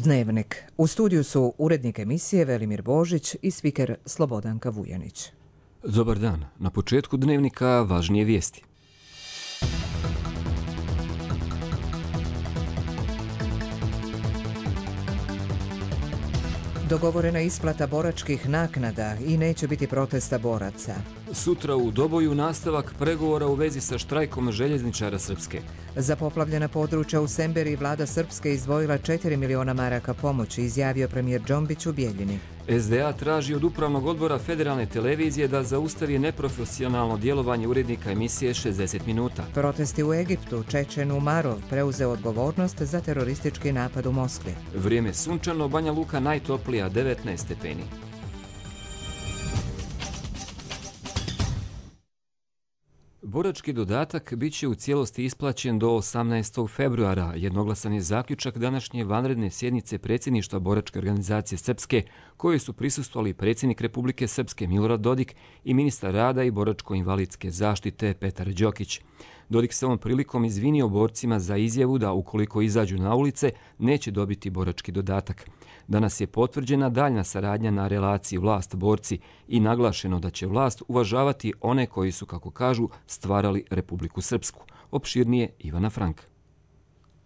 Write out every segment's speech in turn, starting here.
Dnevnik. U studiju su urednik emisije Velimir Božić i spiker Slobodanka Vujanić. Dobar dan. Na početku Dnevnika važnije vijesti. Dogovorena isplata boračkih naknada i neće biti protesta boraca. Sutra u Doboju nastavak pregovora u vezi sa štrajkom željezničara Srpske. Za poplavljena područja u Semberi vlada Srpske izdvojila 4 miliona maraka pomoći, izjavio premijer Džombić u Bijeljini. SDA traži od Upravnog odbora Federalne televizije da zaustavi neprofesionalno djelovanje urednika emisije 60 minuta. Protesti u Egiptu. Čečen Umarov preuzeo odgovornost za teroristički napad u Moskvi. Vrijeme sunčano, Banja Luka najtoplija 19 stepeni. Borački dodatak bit će u cijelosti isplaćen do 18. februara. Jednoglasan je zaključak današnje vanredne sjednice predsjedništva Boračke organizacije Srpske, kojoj su prisustvovali predsjednik Republike Srpske Milorad Dodik i ministar rada i boračko-invalidske zaštite Petar Đokić. Dodik se ovom prilikom izvinio borcima za izjavu da ukoliko izađu na ulice neće dobiti borački dodatak. Danas je potvrđena daljna saradnja na relaciji vlast-borci i naglašeno da će vlast uvažavati one koji su, kako kažu, stvarali Republiku Srpsku. Opširnije Ivana Frank.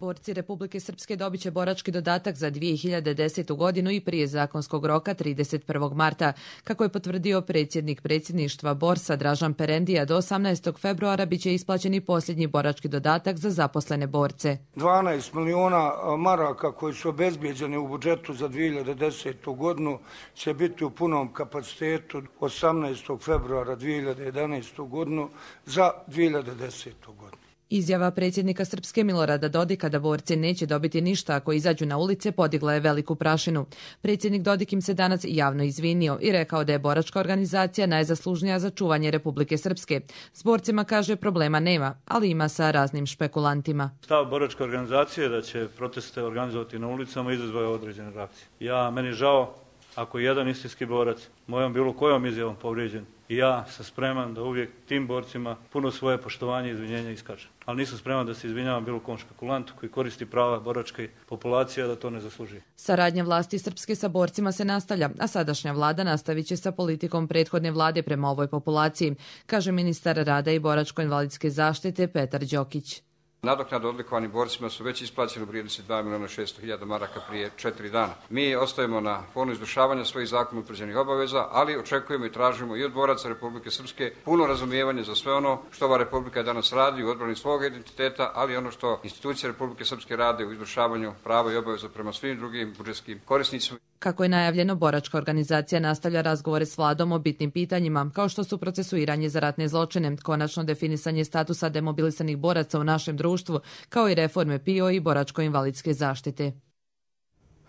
Borci Republike Srpske dobit će borački dodatak za 2010. godinu i prije zakonskog roka 31. marta. Kako je potvrdio predsjednik predsjedništva Borsa Dražan Perendija, do 18. februara bit će isplaćen i posljednji borački dodatak za zaposlene borce. 12 miliona maraka koji su obezbijeđeni u budžetu za 2010. godinu će biti u punom kapacitetu 18. februara 2011. godinu za 2010. godinu. Izjava predsjednika Srpske Milorada Dodika da borci neće dobiti ništa ako izađu na ulice podigla je veliku prašinu. Predsjednik Dodik im se danas javno izvinio i rekao da je boračka organizacija najzaslužnija za čuvanje Republike Srpske. S borcima, kaže, problema nema, ali ima sa raznim špekulantima. Stav boračke organizacije je da će proteste organizovati na ulicama i izazvaju određene reakcije. Meni žao ako je jedan istinski borac mojom bilo kojom izjavom povrijeđen. I ja sam spreman da uvijek tim borcima puno svoje poštovanje i izvinjenja iskažem. Ali nisam spreman da se izvinjavam bilo kom špekulantu koji koristi prava boračke populacije da to ne zaslužuje. Saradnja vlasti Srpske sa borcima se nastavlja, a sadašnja vlada nastavit će sa politikom prethodne vlade prema ovoj populaciji, kaže ministar rada i boračko-invalidske zaštite Petar Đokić. Nadoknade odlikovanim borcima su već isplaćene u vrijednosti 2.600.000 maraka prije 4 dana. Mi ostajemo na planu izvršavanja svojih zakonom utvrđenih obaveza, ali očekujemo i tražimo i od boraca Republike Srpske puno razumijevanje za sve ono što ova Republika danas radi u odbrani svog identiteta, ali ono što institucije Republike Srpske rade u izvršavanju prava i obaveza prema svim drugim budžetskim korisnicima. Kako je najavljeno, boračka organizacija nastavlja razgovore s vladom o bitnim pitanjima, kao što su procesuiranje za ratne zločine, konačno definisanje statusa demobilisanih boraca u našem društvu, kao i reforme PIO i boračko-invalidske zaštite.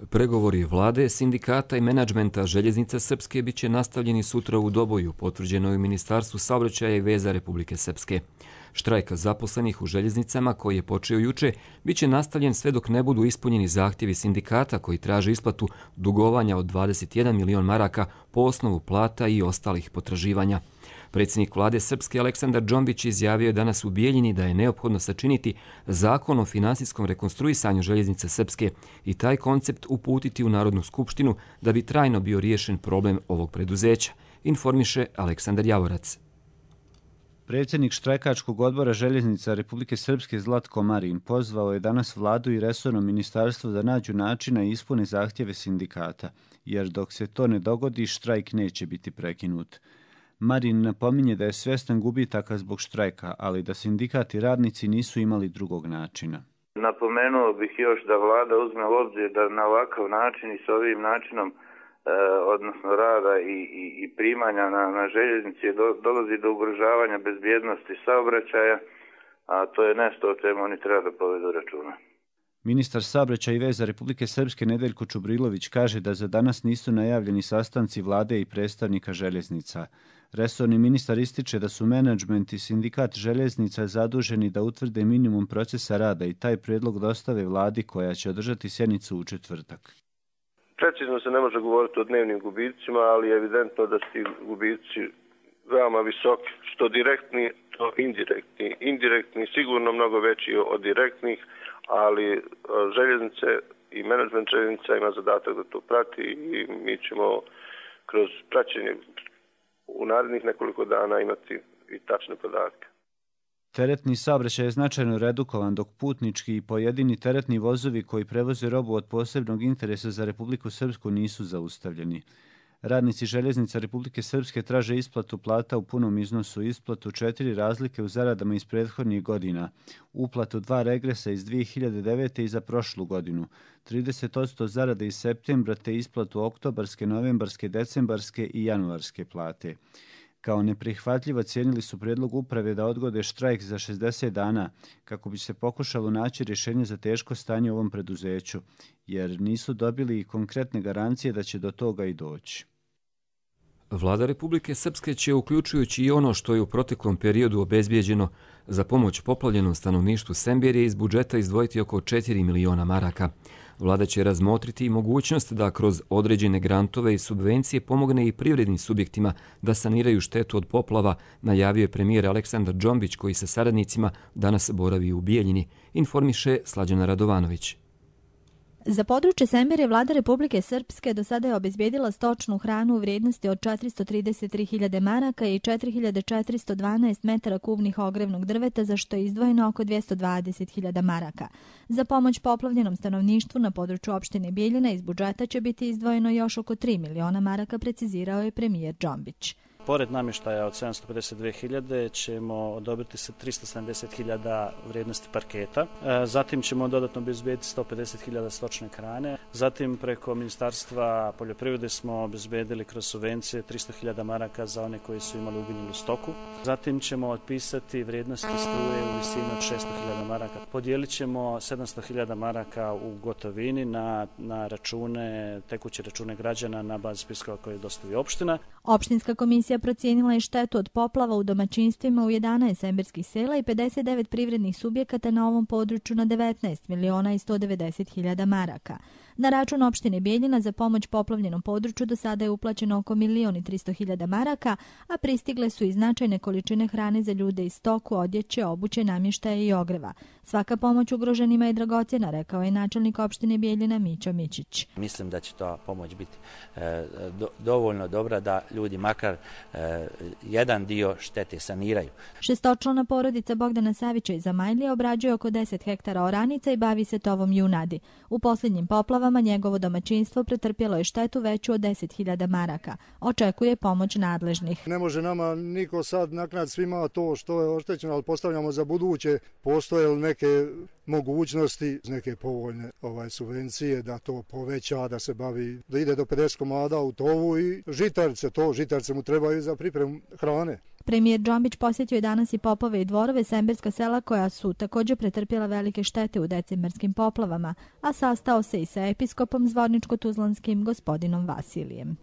Pregovori vlade, sindikata i menadžmenta željeznica Srpske bit će nastavljeni sutra u Doboju, potvrđeno je u Ministarstvu saobraćaja i veza Republike Srpske. Štrajk zaposlenih u željeznicama, koji je počeo juče, bit će nastavljen sve dok ne budu ispunjeni zahtjevi sindikata koji traže isplatu dugovanja od 21 milion maraka po osnovu plata i ostalih potraživanja. Predsjednik vlade Srpske Aleksandar Džombić izjavio je danas u Bijeljini da je neophodno sačiniti zakon o finansijskom rekonstruisanju željeznice Srpske i taj koncept uputiti u Narodnu skupštinu da bi trajno bio riješen problem ovog preduzeća, informiše Aleksandar Javorac. Predsjednik štrajkačkog odbora željeznica Republike Srpske Zlatko Marin pozvao je danas vladu i resorno ministarstvo da nađu načina i ispune zahtjeve sindikata, jer dok se to ne dogodi, štrajk neće biti prekinut. Marin napominje da je svjestan gubitaka zbog štrajka, ali da sindikat i radnici nisu imali drugog načina. Napomenuo bih još da vlada uzme u obzir da na ovakav način i s ovim načinom odnosno rada i primanja na željeznici dolazi do ugrožavanja bezbjednosti saobraćaja, a to je nešto o čemu oni treba da povedu računa. Ministar saobraćaja i veza Republike Srpske Nedeljko Čubrilović kaže da za danas nisu najavljeni sastanci vlade i predstavnika željeznica. Resorni ministar ističe da su menadžment i sindikat željeznica zaduženi da utvrde minimum procesa rada i taj prijedlog dostave vladi koja će održati sjednicu u četvrtak. Precizno se ne može govoriti o dnevnim gubicima, ali je evidentno da su ti gubici veoma visoki, što direktni, to indirektni. Indirektni sigurno mnogo veći od direktnih, ali željeznice i menadžment željeznica ima zadatak da to prati i mi ćemo kroz praćenje u narednih nekoliko dana imati i tačne podatke. Teretni saobraćaj je značajno redukovan, dok putnički i pojedini teretni vozovi koji prevoze robu od posebnog interesa za Republiku Srpsku nisu zaustavljeni. Radnici željeznica Republike Srpske traže isplatu plata u punom iznosu, isplatu 4 razlike u zaradama iz prethodnih godina, uplatu 2 regresa iz 2009. i za prošlu godinu, 30% zarade iz septembra te isplatu oktobarske, novembarske, decembarske i januarske plate. Kao neprihvatljivo cijenili su prijedlog uprave da odgode štrajk za 60 dana kako bi se pokušalo naći rješenje za teško stanje u ovom preduzeću, jer nisu dobili konkretne garancije da će do toga i doći. Vlada Republike Srpske će, uključujući i ono što je u proteklom periodu obezbijeđeno za pomoć poplavljenom stanovništvu Semberije, iz budžeta izdvojiti oko 4 miliona maraka. Vlada će razmotriti i mogućnost da kroz određene grantove i subvencije pomogne i privrednim subjektima da saniraju štetu od poplava, najavio je premijer Aleksandar Džombić, koji sa saradnicima danas boravi u Bijeljini, informiše Slađana Radovanović. Za područje Semberije vlada Republike Srpske do sada je obezbijedila stočnu hranu u vrijednosti od 433.000 maraka i 4.412 metara kubnih ogrevnog drveta, za što je izdvojeno oko 220.000 maraka. Za pomoć poplavljenom stanovništvu na području opštine Bijeljina iz budžeta će biti izdvojeno još oko 3 miliona maraka, precizirao je premijer Džombić. Pored namještaja od 752.000 ćemo odobriti se 370.000 vrijednosti parketa. Zatim ćemo dodatno obezbijediti 150.000 stočne hrane. Zatim preko Ministarstva poljoprivrede smo obezbijedili kroz subvencije 300.000 maraka za one koji su imali uginulu stoku. Zatim ćemo otpisati vrijednosti struje u visini od 600.000 maraka. Podijelit ćemo 700.000 maraka u gotovini na račune, tekuće račune građana na bazi spiskova koje dostavi opština. Opštinska komisija procijenila je štetu od poplava u domaćinstvima u 11 semberskih sela i 59 privrednih subjekata na ovom području na 19.190.000 maraka. Na račun opštine Bijeljina za pomoć poplavljenom području do sada je uplaćeno oko 1.300.000 maraka, a pristigle su i značajne količine hrane za ljude i stoku, odjeće, obuće, namještaja i ogreva. Svaka pomoć ugroženima je dragocjena, rekao je načelnik opštine Bijeljina Mićo Mićić. Mislim da će ta pomoć biti dovoljno dobra da ljudi makar jedan dio štete saniraju. Šestočlana porodica Bogdana Savića iz Zamajlije obrađuje oko 10 hektara oranica i bavi se tovom junadi. U posljednjim poplavama njegovo domaćinstvo pretrpjelo je štetu veću od 10.000 maraka. Očekuje pomoć nadležnih. Ne može nama niko sad naknaditi svima to što je oštećeno, ali postavljamo za buduće. Postoje li neke mogućnosti, neke povoljne subvencije da to poveća, da se bavi, da ide do 50 komada u tovu i žitarce mu trebaju za pripremu hrane. Premijer Džombić posjetio je danas i Popove i Dvorove, semberska sela koja su također pretrpjela velike štete u decembarskim poplavama, a sastao se i sa episkopom zvorničko-tuzlanskim gospodinom Vasilijem.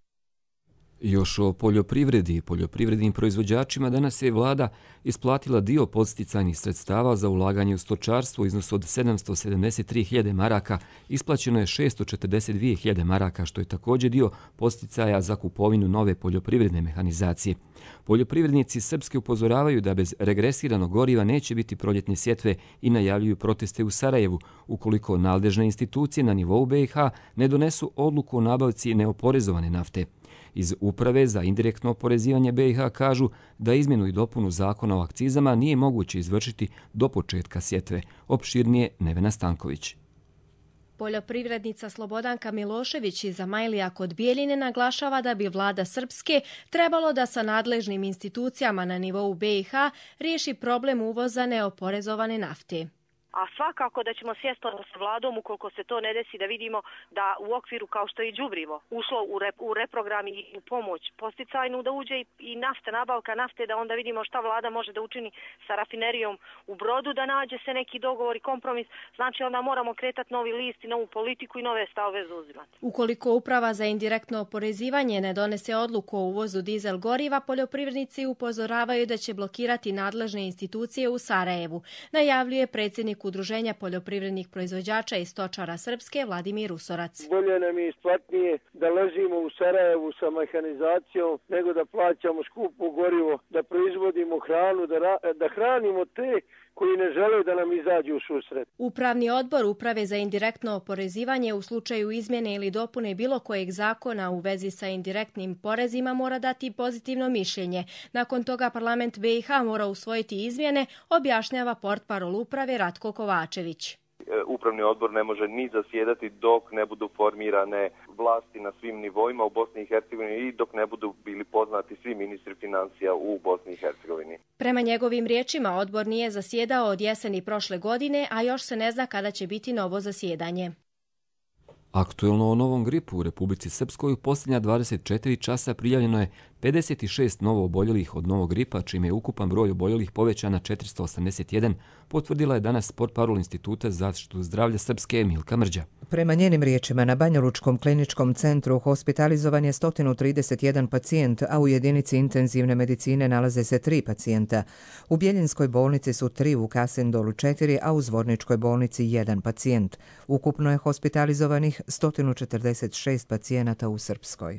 Još o poljoprivredi i poljoprivrednim proizvođačima danas je vlada isplatila dio podsticajnih sredstava za ulaganje u stočarstvo u iznosu od 773.000 maraka, isplaćeno je 642.000 maraka, što je također dio podsticaja za kupovinu nove poljoprivredne mehanizacije. Poljoprivrednici Srpske upozoravaju da bez regresiranog goriva neće biti proljetne sjetve i najavljuju proteste u Sarajevu ukoliko nadležne institucije na nivou BiH ne donesu odluku o nabavci neoporezovane nafte. Iz Uprave za indirektno oporezivanje BiH kažu da izmjenu i dopunu zakona o akcizama nije moguće izvršiti do početka sjetve. Opširnije Nevena Stanković. Poljoprivrednica Slobodanka Milošević iz Zamajlija kod Bijeljine naglašava da bi vlada Srpske trebalo da sa nadležnim institucijama na nivou BiH riješi problem uvoza neoporezovane nafte. A svakako da ćemo sjesti sa vladom ukoliko se to ne desi, da vidimo da u okviru kao što je i đubrivo ušlo u reprogram i u pomoć posticajnu, da uđe i nafta, nabavka nafte, da onda vidimo šta vlada može da učini sa rafinerijom u Brodu, da nađe se neki dogovor i kompromis. Znači onda moramo kretati novi list i novu politiku i nove stavove zauzimati. Ukoliko Uprava za indirektno oporezivanje ne donese odluku o uvozu dizel goriva, poljoprivrednici upozoravaju da će blokirati nadležne institucije u Sarajevu, najavljuje predsjednik Udruženja poljoprivrednih proizvođača i stočara Srpske Vladimir Usorac. Bolje nam je isplatnije da ležimo u Sarajevu sa mehanizacijom nego da plaćamo skupo gorivo, da proizvodimo hranu, da hranimo te koji ne žele da nam izađu u susret. Upravni odbor Uprave za indirektno oporezivanje u slučaju izmjene ili dopune bilo kojeg zakona u vezi sa indirektnim porezima mora dati pozitivno mišljenje. Nakon toga parlament BiH mora usvojiti izmjene, objašnjava portparol uprave Ratko Kovačević. Upravni odbor ne može ni zasjedati dok ne budu formirane vlasti na svim nivoima u Bosni i Hercegovini i dok ne budu bili poznati svi ministri financija u Bosni i Hercegovini. Prema njegovim riječima, odbor nije zasjedao od jeseni prošle godine, a još se ne zna kada će biti novo zasjedanje. Aktuelno o novom gripu u Republici Srpskoj u posljednja 24 časa prijavljeno je 56 novo oboljelih od novog gripa, čime je ukupan broj oboljelih povećan na 481, potvrdila je danas portparol Instituta za zaštitu zdravlja Srpske Milka Mrđa. Prema njenim riječima, na Banjalučkom kliničkom centru hospitalizovan je 131 pacijent, a u jedinici intenzivne medicine nalaze se 3 pacijenta. U Bjeljinskoj bolnici su 3, u Kasindolu 4, a u Zvorničkoj bolnici 1 pacijent. Ukupno je hospitalizovanih 146 pacijenata u Srpskoj.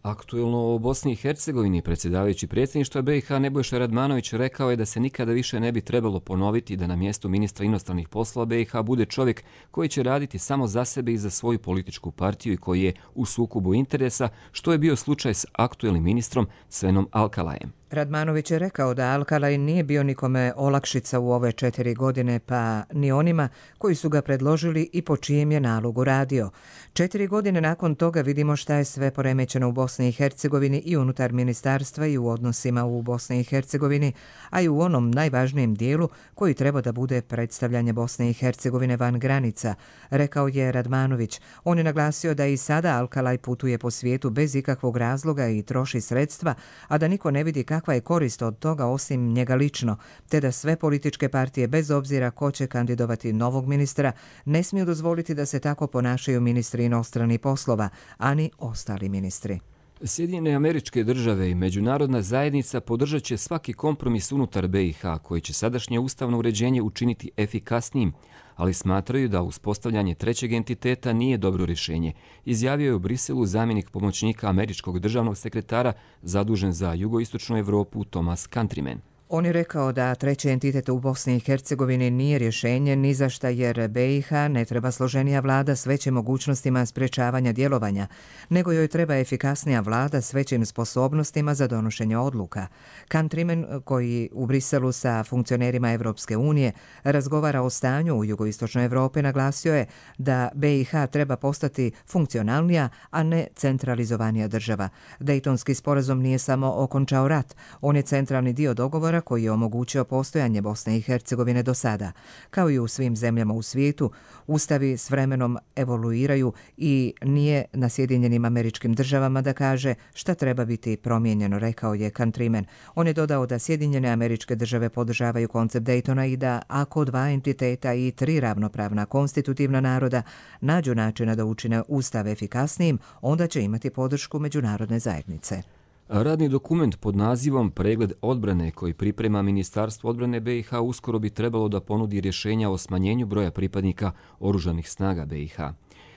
Aktuelno o Bosni i Hercegovini predsjedavajući predsjedništva BiH Nebojša Radmanović rekao je da se nikada više ne bi trebalo ponoviti da na mjestu ministra inostranih poslova BiH bude čovjek koji će raditi samo za sebe i za svoju političku partiju i koji je u sukobu interesa, što je bio slučaj s aktuelnim ministrom Svenom Alkalajem. Radmanović je rekao da Alkalaj nije bio nikome olakšica u ove 4 godine, pa ni onima koji su ga predložili i po čijem je nalogu radio. 4 godine nakon toga vidimo šta je sve poremećeno u Bosni i Hercegovini i unutar ministarstva i u odnosima u Bosni i Hercegovini, a i u onom najvažnijem dijelu koji treba da bude predstavljanje Bosne i Hercegovine van granica, rekao je Radmanović. On je naglasio da i sada Alkalaj putuje po svijetu bez ikakvog razloga i troši sredstva, a da niko ne vidi kakva je korist od toga osim njega lično, te da sve političke partije, bez obzira ko će kandidovati novog ministra, ne smiju dozvoliti da se tako ponašaju ministri inostranih poslova, ani ostali ministri. Sjedinjene Američke Države i međunarodna zajednica podržat će svaki kompromis unutar BiH koji će sadašnje ustavno uređenje učiniti efikasnijim, ali smatraju da uspostavljanje trećeg entiteta nije dobro rješenje, izjavio je u Briselu zamjenik pomoćnika američkog državnog sekretara zadužen za jugoistočnu Evropu Thomas Countryman. On je rekao da treći entitet u Bosni i Hercegovini nije rješenje ni za šta jer BiH ne treba složenija vlada s većim mogućnostima sprečavanja djelovanja, nego joj treba efikasnija vlada s većim sposobnostima za donošenje odluka. Countryman, koji u Briselu sa funkcionerima Evropske unije razgovara o stanju u jugoistočnoj Evropi, naglasio je da BiH treba postati funkcionalnija, a ne centralizovanija država. Dejtonski sporazum nije samo okončao rat, on je centralni dio dogovora koji je omogućio postojanje Bosne i Hercegovine do sada. Kao i u svim zemljama u svijetu, ustavi s vremenom evoluiraju i nije na Sjedinjenim Američkim Državama da kaže šta treba biti promijenjeno, rekao je Countryman. On je dodao da Sjedinjene Američke Države podržavaju koncept Daytona i da ako 2 entiteta i 3 ravnopravna konstitutivna naroda nađu načina da učine ustav efikasnijim, onda će imati podršku međunarodne zajednice. Radni dokument pod nazivom Pregled odbrane koji priprema Ministarstvo odbrane BiH uskoro bi trebalo da ponudi rješenja o smanjenju broja pripadnika oružanih snaga BiH.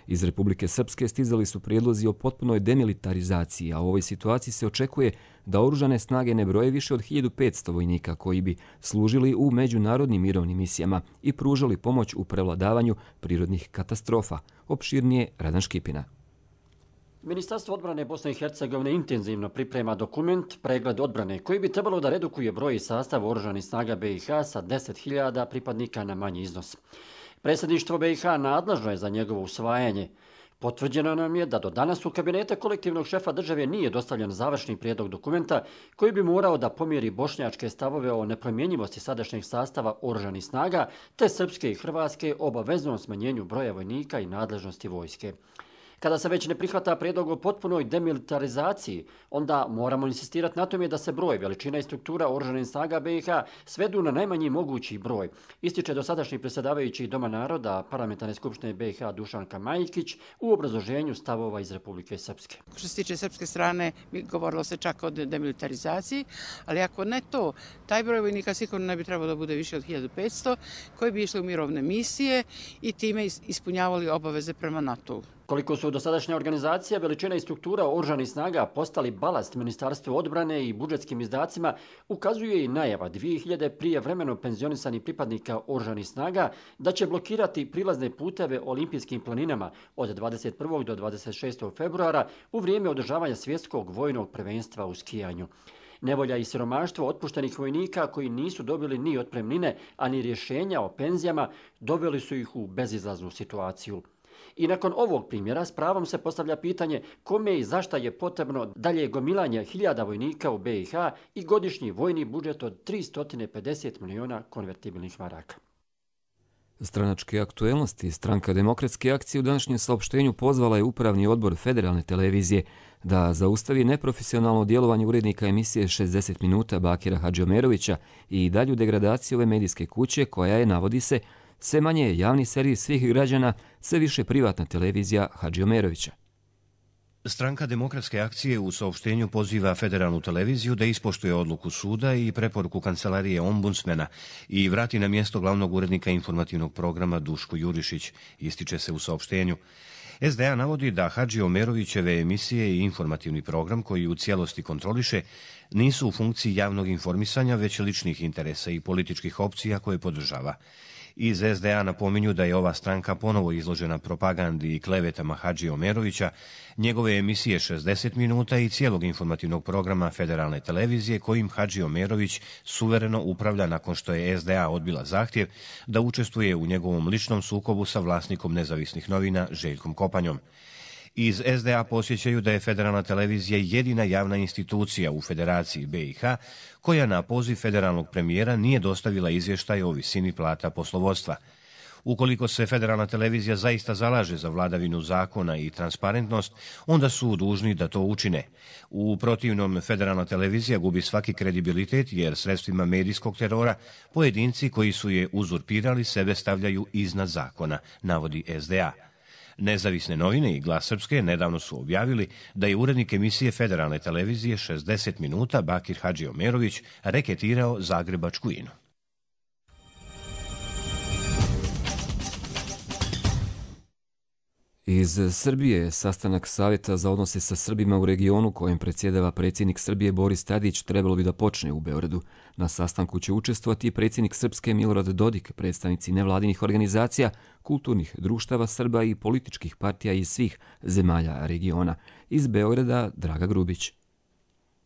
Iz Republike Srpske stizali su prijedlozi o potpunoj demilitarizaciji, a u ovoj situaciji se očekuje da oružane snage ne broje više od 1500 vojnika koji bi služili u međunarodnim mirovnim misijama i pružali pomoć u prevladavanju prirodnih katastrofa. Opširnije Radan Škipina. Ministarstvo odbrane Bosne i Hercegovine intenzivno priprema dokument Pregled odbrane koji bi trebalo da redukuje broj i sastav oružanih snaga BiH sa 10.000 pripadnika na manji iznos. Predsjedništvo BiH nadležno je za njegovo usvajanje. Potvrđeno nam je da do danas u kabinete kolektivnog šefa države nije dostavljen završni prijedlog dokumenta koji bi morao da pomjeri bošnjačke stavove o nepromjenjivosti sadašnjeg sastava oružanih snaga te srpske i hrvatske obaveznom smanjenju broja vojnika i nadležnosti vojske. Kada se već ne prihvata prijedlog o potpunoj demilitarizaciji, onda moramo insistirati na tome da se broj, veličina i struktura oružanih snaga BiH svedu na najmanji mogući broj, ističe dosadašnji predsjedavajući Doma naroda Parlamentarne skupštine BiH Dušan Kamajkić u obrazloženju stavova iz Republike Srpske. Što se tiče srpske strane, govorilo se čak o demilitarizaciji, ali ako ne to, taj broj vojnika sigurno ne bi trebalo da bude više od 1500 koji bi išli u mirovne misije i time ispunjavali obaveze prema NATO-u. Koliko su dosadašnja organizacija, veličina i struktura oružanih snaga postali balast Ministarstvu odbrane i budžetskim izdacima, ukazuje i najava 2000 prijevremeno penzionisanih pripadnika oružanih snaga da će blokirati prilazne puteve olimpijskim planinama od 21. do 26. februara u vrijeme održavanja svjetskog vojnog prvenstva u skijanju. Nevolja i siromaštvo otpuštenih vojnika koji nisu dobili ni otpremnine, a ni rješenja o penzijama doveli su ih u bezizlaznu situaciju. I nakon ovog primjera s pravom se postavlja pitanje kome i zašta je potrebno dalje gomilanje hiljada vojnika u BiH i godišnji vojni budžet od 350 miliona konvertibilnih maraka. Stranačke aktuelnosti Stranka demokratske akcije u današnjem saopštenju pozvala je Upravni odbor Federalne televizije da zaustavi neprofesionalno djelovanje urednika emisije 60 minuta Bakira Hadžiomerovića i dalju degradaciju ove medijske kuće koja je, navodi se, sve manje javni servis svih građana, sve više privatna televizija Hadžiomerovića. Stranka demokratske akcije u saopštenju poziva Federalnu televiziju da ispoštuje odluku suda i preporuku kancelarije ombudsmena i vrati na mjesto glavnog urednika informativnog programa Duško Jurišić, ističe se u saopštenju. SDA navodi da Hadžiomerovićeve emisije i informativni program koji u cijelosti kontroliše nisu u funkciji javnog informisanja, već ličnih interesa i političkih opcija koje podržava. Iz SDA napominju da je ova stranka ponovo izložena propagandi i klevetama Hadžiomerovića, njegove emisije 60 minuta i cijelog informativnog programa Federalne televizije kojim Hadžiomerović suvereno upravlja nakon što je SDA odbila zahtjev da učestvuje u njegovom ličnom sukobu sa vlasnikom nezavisnih novina Željkom Kopanjom. Iz SDA posjećaju da je Federalna televizija jedina javna institucija u Federaciji BiH koja na poziv federalnog premijera nije dostavila izvještaj o visini plata poslovodstva. Ukoliko se Federalna televizija zaista zalaže za vladavinu zakona i transparentnost, onda su dužni da to učine. U protivnom, Federalna televizija gubi svaki kredibilitet jer sredstvima medijskog terora pojedinci koji su je uzurpirali sebe stavljaju iznad zakona, navodi SDA. Nezavisne novine i Glas Srpske nedavno su objavili da je urednik emisije Federalne televizije 60 minuta Bakir Hadžiomerović reketirao zagrebačku INU. Iz Srbije sastanak Savjeta za odnose sa Srbima u regionu kojem predsjedava predsjednik Srbije Boris Tadić trebalo bi da počne u Beogradu. Na sastanku će učestvovati i predsjednik Srpske Milorad Dodik, predstavnici nevladinih organizacija, kulturnih društava Srba i političkih partija iz svih zemalja regiona. Iz Beograda Draga Grubić.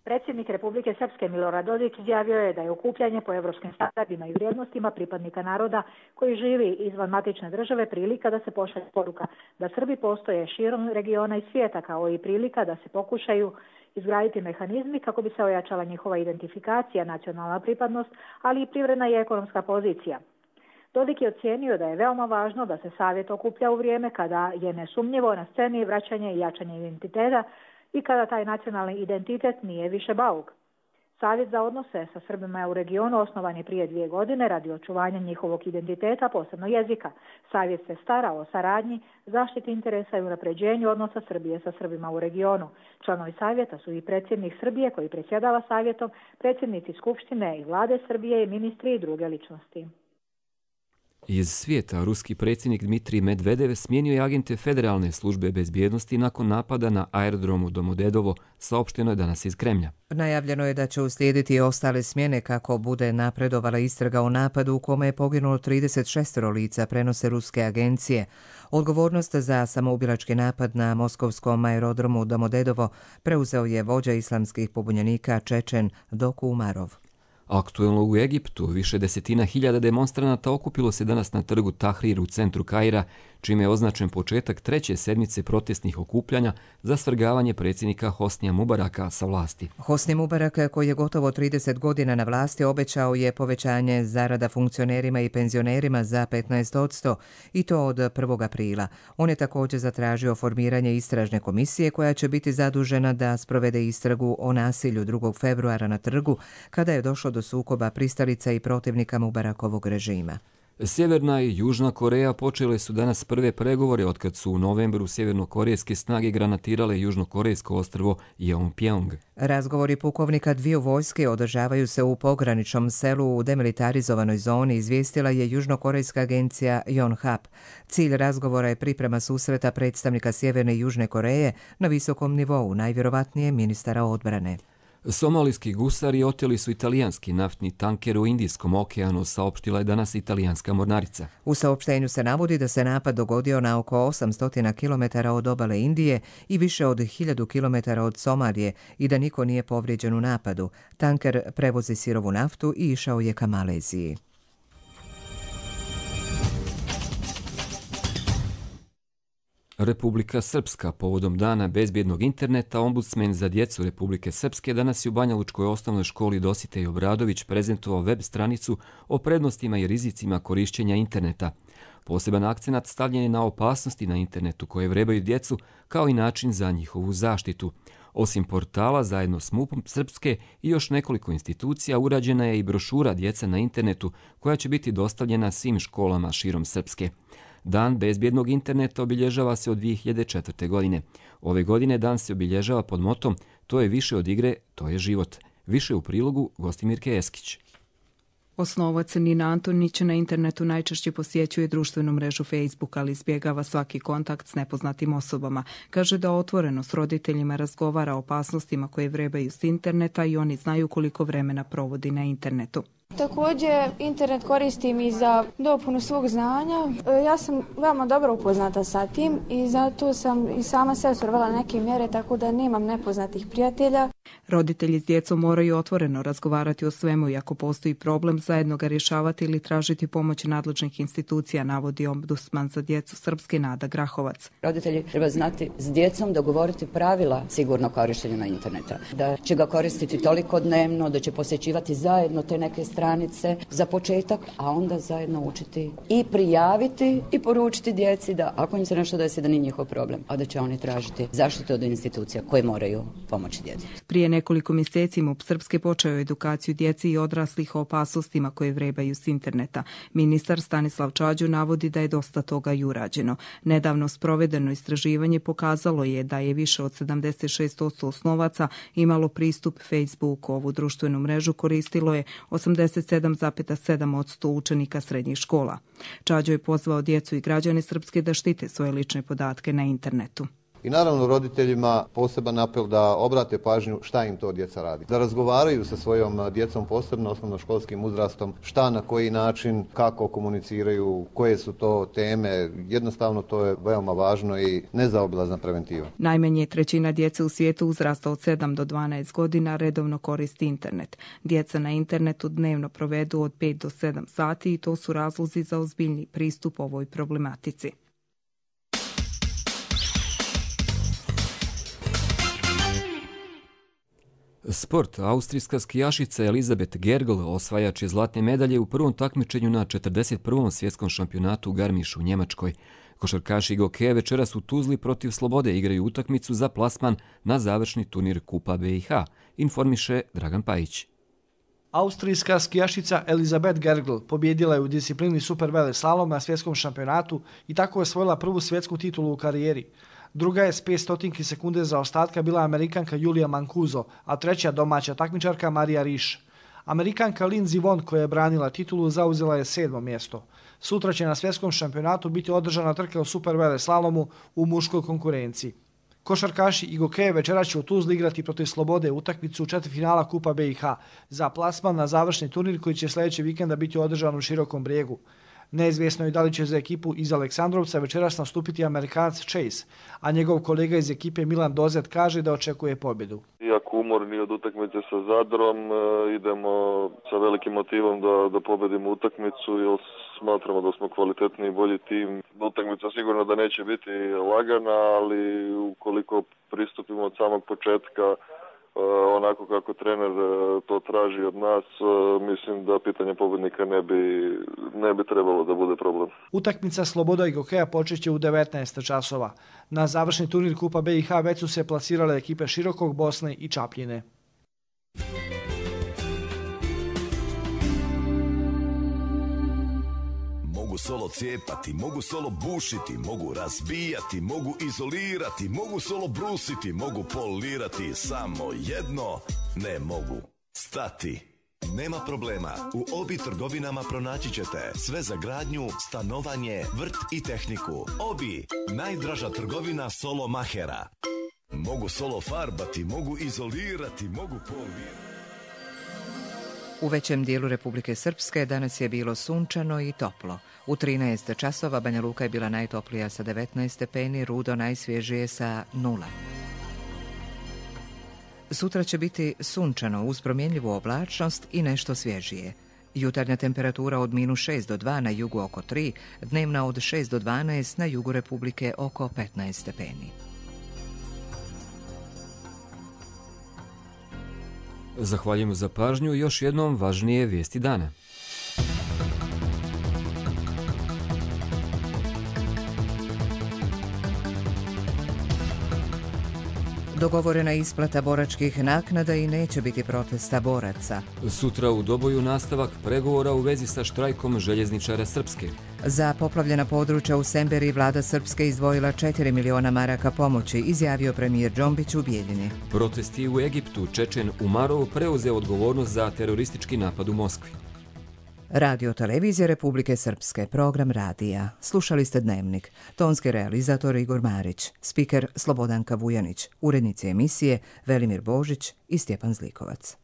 Predsjednik Republike Srpske Milorad Dodik izjavio je da je okupljanje po evropskim standardima i vrijednostima pripadnika naroda koji živi izvan matične države prilika da se pošalje poruka da Srbi postoje širom regiona i svijeta, kao i prilika da se pokušaju izgraditi mehanizmi kako bi se ojačala njihova identifikacija, nacionalna pripadnost, ali i privredna i ekonomska pozicija. Dodik je ocijenio da je veoma važno da se savjet okuplja u vrijeme kada je nesumnjivo na sceni vraćanje i jačanje identiteta i kada taj nacionalni identitet nije više bauk. Savjet za odnose sa Srbima u regionu osnovan je prije 2 godine radi očuvanja njihovog identiteta, posebno jezika. Savjet se stara o saradnji, zaštiti interesa i unapređenju odnosa Srbije sa Srbima u regionu. Članovi savjeta su i predsjednik Srbije koji predsjedava savjetom, predsjednici Skupštine i vlade Srbije i ministri i druge ličnosti. Iz svijeta ruski predsjednik Dmitrij Medvedev smijenio je agente Federalne službe bezbjednosti nakon napada na aerodromu Domodedovo, saopšteno je danas iz Kremlja. Najavljeno je da će uslijediti ostale smjene kako bude napredovala istraga o napadu u kome je poginulo 36 lica, prenose ruske agencije. Odgovornost za samoubilački napad na moskovskom aerodromu Domodedovo preuzeo je vođa islamskih pobunjenika Čečen Doku Umarov. Aktuelno u Egiptu više desetina hiljada demonstranata okupilo se danas na trgu Tahrir u centru Kaira, čime je označen početak 3. sedmice protestnih okupljanja za svrgavanje predsjednika Hosnija Mubaraka sa vlasti. Hosni Mubarak, koji je gotovo 30 godina na vlasti, obećao je povećanje zarada funkcionerima i penzionerima za 15% i to od 1. aprila. On je također zatražio formiranje istražne komisije koja će biti zadužena da sprovede istragu o nasilju 2. februara na trgu kada je došlo do sukoba pristalica i protivnika Mubarakovog režima. Sjeverna i Južna Koreja počele su danas prve pregovore otkad su u novembru sjevernokorejske snage granatirale južnokorejsko ostrvo Yeonpyeong. Razgovori pukovnika dviju vojske održavaju se u pograničnom selu u demilitarizovanoj zoni, izvijestila je južnokorejska agencija Yonhap. Cilj razgovora je priprema susreta predstavnika Sjeverne i Južne Koreje na visokom nivou, najvjerovatnije ministara odbrane. Somalijski gusari oteli su italijanski naftni tanker u Indijskom okeanu, saopštila je danas italijanska mornarica. U saopštenju se navodi da se napad dogodio na oko 800 km od obale Indije i više od 1000 km od Somalije i da niko nije povrijeđen u napadu. Tanker prevozi sirovu naftu i išao je ka Maleziji. Republika Srpska. Povodom dana bezbjednog interneta, ombudsmen za djecu Republike Srpske danas je u Banjalučkoj osnovnoj školi Dositej Obradović prezentovao web stranicu o prednostima i rizicima korišćenja interneta. Poseban akcenat stavljen je na opasnosti na internetu koje vrebaju djecu, kao i način za njihovu zaštitu. Osim portala, zajedno s MUP-om Srpske i još nekoliko institucija, urađena je i brošura Djeca na internetu, koja će biti dostavljena svim školama širom Srpske. Dan bezbjednog interneta obilježava se od 2004. godine. Ove godine dan se obilježava pod motom "To je više od igre, to je život". Više u prilogu Gostimirke Eskić. Osnovac Nina Antonić na internetu najčešće posjećuje društvenu mrežu Facebook, ali izbjegava svaki kontakt s nepoznatim osobama. Kaže da otvoreno s roditeljima razgovara o opasnostima koje vrebaju s interneta i oni znaju koliko vremena provodi na internetu. Također, internet koristim i za dopunu svog znanja. Ja sam veoma dobro upoznata sa tim i zato sam i sama se uvela neke mjere, tako da nemam nepoznatih prijatelja. Roditelji s djecom moraju otvoreno razgovarati o svemu i ako postoji problem, zajedno ga rješavati ili tražiti pomoć nadležnih institucija, navodi ombudsman za djecu Srpske Nada Grahovac. Roditelji treba znati s djecom dogovoriti pravila sigurno korištenja interneta. Da će ga koristiti toliko dnevno, da će posjećivati zajedno te neke stranice za početak, a onda zajedno učiti i prijaviti i poručiti djeci da ako im se nešto desi da nije njihov problem, a da će oni tražiti zaštitu od institucija koje moraju pomoći djeci. Prije nekoliko mjeseci MUP Srpske počeo edukaciju djeci i odraslih o opasnostima koje vrebaju s interneta. Ministar Stanislav Čađu navodi da je dosta toga i urađeno. Nedavno sprovedeno istraživanje pokazalo je da je više od 76% osnovaca imalo pristup Facebooku. Ovu društvenu mrežu koristilo je 87,7% učenika srednjih škola. Čađo je pozvao djecu i građane Srpske da štite svoje lične podatke na internetu. I naravno roditeljima poseban apel da obrate pažnju šta im to djeca radi. Da razgovaraju sa svojom djecom, posebno osnovnoškolskim uzrastom, šta, na koji način, kako komuniciraju, koje su to teme. Jednostavno to je veoma važno i nezaobilazna preventiva. Najmanje trećina djece u svijetu uzrasta od 7 do 12 godina redovno koristi internet. Djeca na internetu dnevno provedu od 5 do 7 sati i to su razlozi za ozbiljni pristup ovoj problematici. Sport. Austrijska skijašica Elizabeth Gergel, osvajač je zlatne medalje u prvom takmičenju na 41. svjetskom šampionatu u Garmišu u Njemačkoj. Košarkaši Gokeja večeras u Tuzli protiv Slobode igraju utakmicu za plasman na završni turnir Kupa BiH, informiše Dragan Pajić. Austrijska skijašica Elizabeth Gergel pobjedila je u disciplini superveleslalom na svjetskom šampionatu i tako je osvojila prvu svjetsku titulu u karijeri. Druga je s 500 sekunde zaostatka bila Amerikanka Julia Mancuso, a treća domaća takmičarka Marija Riš. Amerikanka Lindsey Vonn, koja je branila titulu, zauzela je 7. mjesto. Sutra će na svjetskom šampionatu biti održana trka u superveleslalomu u muškoj konkurenciji. Košarkaši i Gokeje večera će u Tuzli igrati protiv Slobode utakmicu četvrtfinala Kupa BiH za plasman na završni turnir koji će sljedećeg vikenda biti održan u Širokom Brijegu. Neizvjesno je da li će za ekipu iz Aleksandrovca večeras nastupiti Amerikanac Chase, a njegov kolega iz ekipe Milan Dozet kaže da očekuje pobjedu. Iako umorni od utakmice sa Zadrom, idemo sa velikim motivom da pobedimo utakmicu jer smatramo da smo kvalitetni i bolji tim. Utakmica sigurno da neće biti lagana, ali ukoliko pristupimo od samog početka onako kako trener to traži od nas, mislim da pitanje pobjednika ne bi trebalo da bude problem. Utakmica Sloboda i Gokeja počeće u 19 časova. Na završni turnir Kupa BiH već su se plasirale ekipe Širokog, Bosne i Čapljine. Mogu solo cijepati, mogu solo bušiti, mogu razbijati, mogu izolirati, mogu solo brusiti, mogu polirati, samo jedno ne mogu. Stati. Nema problema, u Obi trgovinama pronaći ćete sve za gradnju, stanovanje, vrt i tehniku. Obi, najdraža trgovina solo mahera. Mogu solo farbati, mogu izolirati, mogu polirati. U većem dijelu Republike Srpske danas je bilo sunčano i toplo. U 13 časova Banja Luka je bila najtoplija sa 19 stepeni, Rudo najsvježije sa 0. Sutra će biti sunčano uz promjenljivu oblačnost i nešto svježije. Jutarnja temperatura od -6 do 2 na jugu oko 3, dnevna od 6 do 12 na jugu Republike oko 15 stepeni. Zahvaljujemo za pažnju i još jednom važnije vijesti dana. Dogovorena isplata boračkih naknada i neće biti protesta boraca. Sutra u Doboju nastavak pregovora u vezi sa štrajkom željezničara Srpske. Za poplavljena područja u Semberi vlada Srpske izdvojila 4 miliona maraka pomoći, izjavio premijer Džombić u Bijeljini. Protesti u Egiptu, Čečen Umarov preuzeo odgovornost za teroristički napad u Moskvi. Radio Televizija Republike Srpske, program radija. Slušali ste Dnevnik. Tonski realizator Igor Marić, spiker Slobodanka Vujanić, urednici emisije Velimir Božić i Stjepan Zlikovac.